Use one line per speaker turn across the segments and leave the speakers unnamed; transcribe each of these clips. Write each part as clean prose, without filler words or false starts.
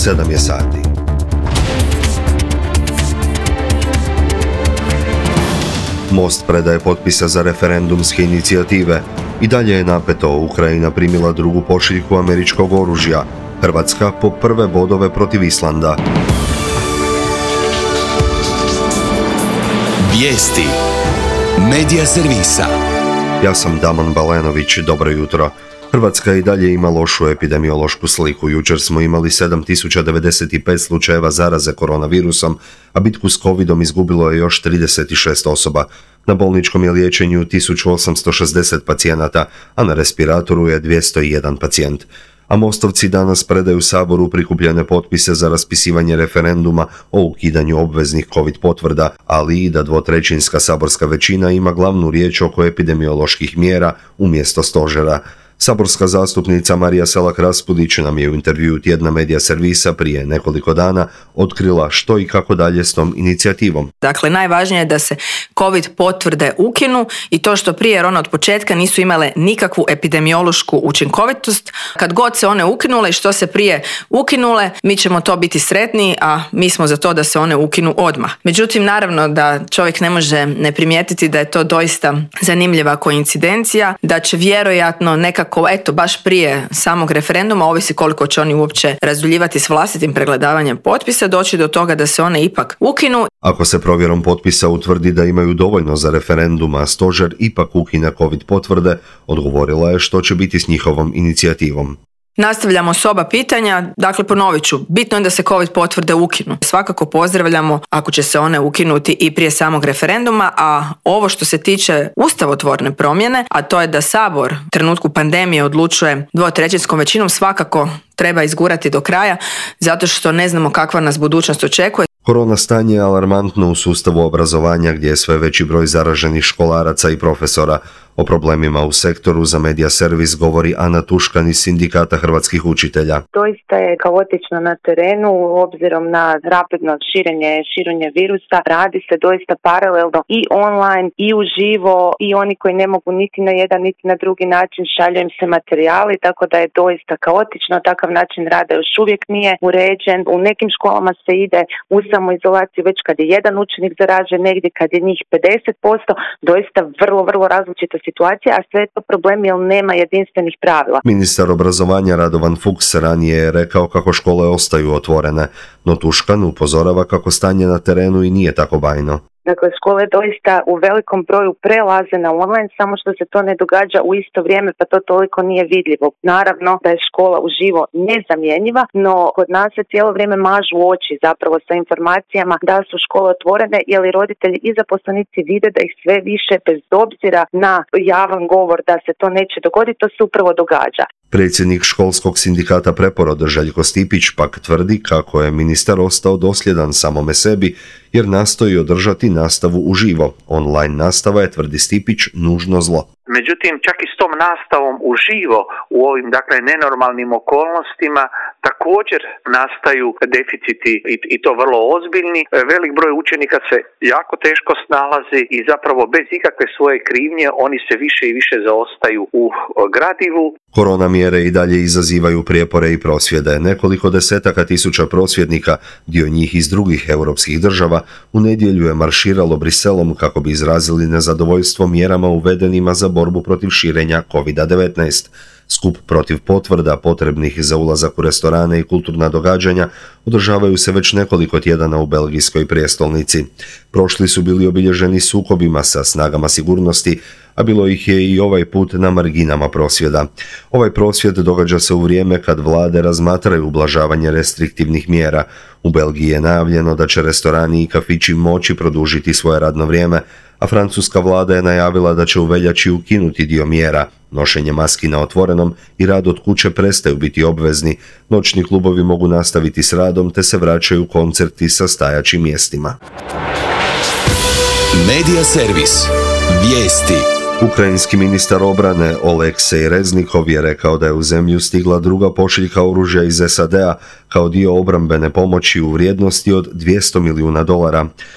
7 je sati. Most predaje potpisa za referendumske inicijative. I dalje je napeto. Ukrajina primila drugu pošiljku američkog oružja. Hrvatska po prve bodove protiv Islanda.
Vijesti Medija servisa.
Ja sam Damon Balenović, dobro jutro. Hrvatska i dalje ima lošu epidemiološku sliku. Jučer smo imali 7095 slučajeva zaraze koronavirusom, a bitku s covidom izgubilo je još 36 osoba. Na bolničkom je liječenju 1860 pacijenata, a na respiratoru je 201 pacijent. A mostovci danas predaju Saboru prikupljene potpise za raspisivanje referenduma o ukidanju obveznih covid potvrda, ali i da dvotrećinska saborska većina ima glavnu riječ oko epidemioloških mjera umjesto stožera. Saborska zastupnica Marija Selak-Raspudić nam je u intervjuu tjedna Medija servisa prije nekoliko dana otkrila što i kako dalje s tom inicijativom.
Dakle, najvažnije je da se COVID potvrde ukinu i to što prije, jer one od početka nisu imale nikakvu epidemiološku učinkovitost. Kad god se one ukinule i što se prije ukinule, mi ćemo to biti sretni, a mi smo za to da se one ukinu odmah. Međutim, naravno da čovjek ne može ne primijetiti da je to doista zanimljiva koincidencija, da će vjerojatno nekako baš prije samog referenduma, ovisi koliko će oni uopće razduljivati s vlastitim pregledavanjem potpisa, doći do toga da se one ipak ukinu.
Ako se provjerom potpisa utvrdi da imaju dovoljno za referendum, a stožer ipak ukine covid potvrde, odgovorila je što će biti s njihovom inicijativom.
Nastavljamo s oba pitanja, dakle ponovit ću, bitno je da se COVID potvrde ukinu. Svakako pozdravljamo ako će se one ukinuti i prije samog referenduma, a ovo što se tiče ustavotvorne promjene, a to je da Sabor u trenutku pandemije odlučuje dvotrećinskom većinom, svakako treba izgurati do kraja, zato što ne znamo kakva nas budućnost očekuje.
Korona stanje je alarmantno u sustavu obrazovanja gdje je sve veći broj zaraženih školaraca i profesora. O problemima u sektoru za Medija servis govori Ana Tuškan iz Sindikata hrvatskih učitelja.
Doista je kaotično na terenu, obzirom na rapidno širenje virusa. Radi se doista paralelno i online i uživo, i oni koji ne mogu niti na jedan niti na drugi način šalju im se materijali, tako da je doista kaotično. Takav način rada još uvijek nije uređen. U nekim školama se ide u samoizolaciju već kad je jedan učenik zaražen, negdje kad je njih 50%, doista vrlo različita situacija, a sve je to problem jer nema jedinstvenih pravila.
Ministar obrazovanja Radovan Fuchs ranije je rekao kako škole ostaju otvorene, no Tuškan upozorava kako stanje na terenu i nije tako bajno.
Dakle, škole doista u velikom broju prelaze na online, samo što se to ne događa u isto vrijeme, pa to toliko nije vidljivo. Naravno da je škola uživo nezamjenjiva, no kod nas se cijelo vrijeme mažu oči zapravo sa informacijama da su škole otvorene, jer i roditelji i zaposlenici vide da ih sve više, bez obzira na javan govor da se to neće dogoditi, to se upravo događa.
Predsjednik školskog sindikata Preporoda Željko Stipić pak tvrdi kako je ministar ostao dosljedan samome sebi jer nastoji održati nastavu uživo. Online nastava je, tvrdi Stipić, nužno zlo.
Međutim, čak i s tom nastavom uživo u ovim, nenormalnim okolnostima također nastaju deficiti i to vrlo ozbiljni. Velik broj učenika se jako teško snalazi i zapravo bez ikakve svoje krivnje oni se više i više zaostaju u gradivu.
Korona mjere i dalje izazivaju prijepore i prosvjede. Nekoliko desetaka tisuća prosvjednika, dio njih iz drugih europskih država, u nedjelju je marširalo Briselom kako bi izrazili nezadovoljstvo mjerama uvedenima za borbu protiv širenja COVID-19. Skup protiv potvrda potrebnih za ulazak u restorane i kulturna događanja održavaju se već nekoliko tjedana u belgijskoj prijestolnici. Prošli su bili obilježeni sukobima sa snagama sigurnosti, a bilo ih je i ovaj put na marginama prosvjeda. Ovaj prosvjed događa se u vrijeme kad vlade razmatraju ublažavanje restriktivnih mjera. U Belgiji je najavljeno da će restorani i kafići moći produžiti svoje radno vrijeme, a francuska vlada je najavila da će u veljači ukinuti dio mjera. Nošenje maski na otvorenom i rad od kuće prestaju biti obvezni, noćni klubovi mogu nastaviti s radom te se vraćaju koncerti sa stajaćim mjestima.
Medija servis. Vijesti.
Ukrajinski ministar obrane Oleksej Reznikov je rekao da je u zemlju stigla druga pošiljka oružja iz SAD-a kao dio obrambene pomoći u vrijednosti od $200 milijuna.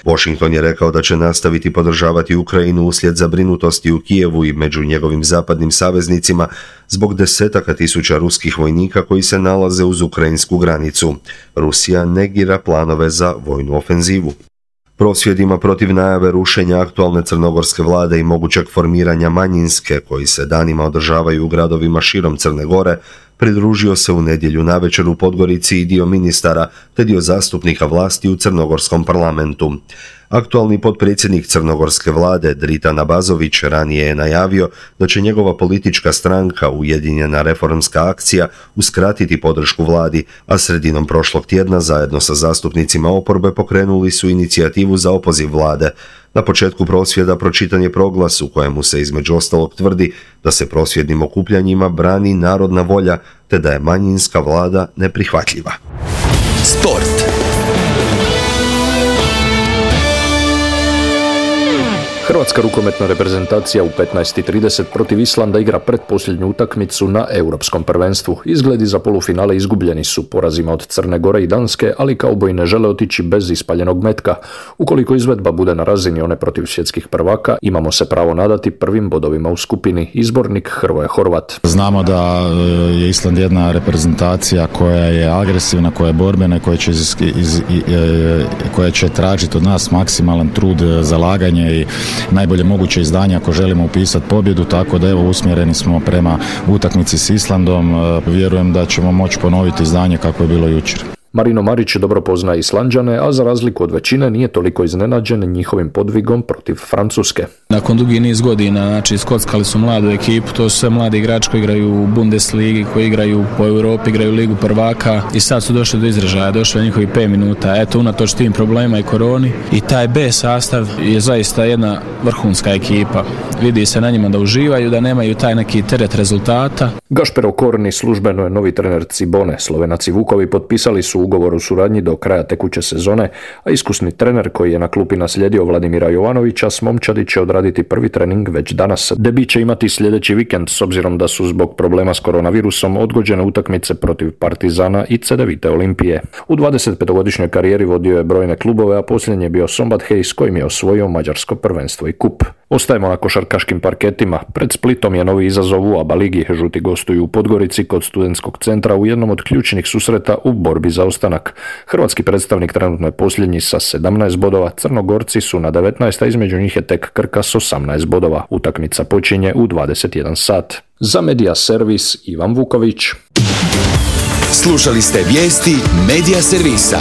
Washington je rekao da će nastaviti podržavati Ukrajinu uslijed zabrinutosti u Kijevu i među njegovim zapadnim saveznicima zbog desetaka tisuća ruskih vojnika koji se nalaze uz ukrajinsku granicu. Rusija negira planove za vojnu ofenzivu. Prosvjedima protiv najave rušenja aktualne crnogorske vlade i mogućeg formiranja manjinske, koji se danima održavaju u gradovima širom Crne Gore, pridružio se u nedjelju navečer u Podgorici i dio ministara te dio zastupnika vlasti u crnogorskom parlamentu. Aktualni potpredsjednik crnogorske vlade Dritan Abazović ranije je najavio da će njegova politička stranka Ujedinjena reformska akcija uskratiti podršku vladi, a sredinom prošlog tjedna zajedno sa zastupnicima oporbe pokrenuli su inicijativu za opoziv vlade. Na početku prosvjeda pročitan je proglas u kojemu se između ostalog tvrdi da se prosvjednim okupljanjima brani narodna volja te da je manjinska vlada neprihvatljiva.
Sport.
Hrvatska rukometna reprezentacija u 15:30 protiv Islanda igra pretposljednju utakmicu na Europskom prvenstvu. Izgledi za polufinale izgubljeni su porazima od Crne Gore i Danske, ali kauboji ne žele otići bez ispaljenog metka. Ukoliko izvedba bude na razini one protiv svjetskih prvaka, imamo se pravo nadati prvim bodovima u skupini. Izbornik Hrvoje Horvat.
Znamo da je Island jedna reprezentacija koja je agresivna, koja je borbena, koja će tražiti od nas maksimalan trud, zalaganje i najbolje moguće izdanje ako želimo upisati pobjedu, tako da evo usmjereni smo prema utakmici s Islandom. Vjerujem da ćemo moći ponoviti izdanje kako je bilo jučer.
Marino Marić dobro poznaje Islanđane, a za razliku od većine nije toliko iznenađen njihovim podvigom protiv Francuske.
Nakon dugi niz godina, znači skockali su mladu ekipu, to su sve mladi igrači koji igraju u Bundesligi, koji igraju po Europi, igraju Ligu prvaka i sad su došli do izražaja, došli njihovi 5 minuta. Eto, unatoč tim problema i koroni i taj B sastav je zaista jedna vrhunska ekipa. Vidi se na njima da uživaju, da nemaju taj neki teret rezultata.
Gašper Okorni službeno je novi trener Cibone. Slovenaci Vukovi potpisali su ugovor o suradnji do kraja tekuće sezone, a iskusni trener koji je na klupi naslijedio Vladimira Jovanovića s momčadi će odraditi prvi trening već danas. Debi će imati sljedeći vikend s obzirom da su zbog problema s koronavirusom odgođene utakmice protiv Partizana i Cedevite Olimpije. U 25-godišnjoj karijeri vodio je brojne klubove, a posljednji je bio Sombat Hej s kojim je osvojio mađarsko prvenstvo i kup. Ostajemo na košarkaškim parketima. Pred Splitom je novi izazov u ABA ligi. Žuti gostuju u Podgorici kod Studentskog centra u jednom od ključnih susreta u borbi za ostanak. Hrvatski predstavnik trenutno je posljednji sa 17 bodova, Crnogorci su na 19, a između njih je tek Krka s 18 bodova. Utakmica počinje u 21 sat. Za Media Servis Ivan Vuković.
Slušali ste vijesti Media Servisa.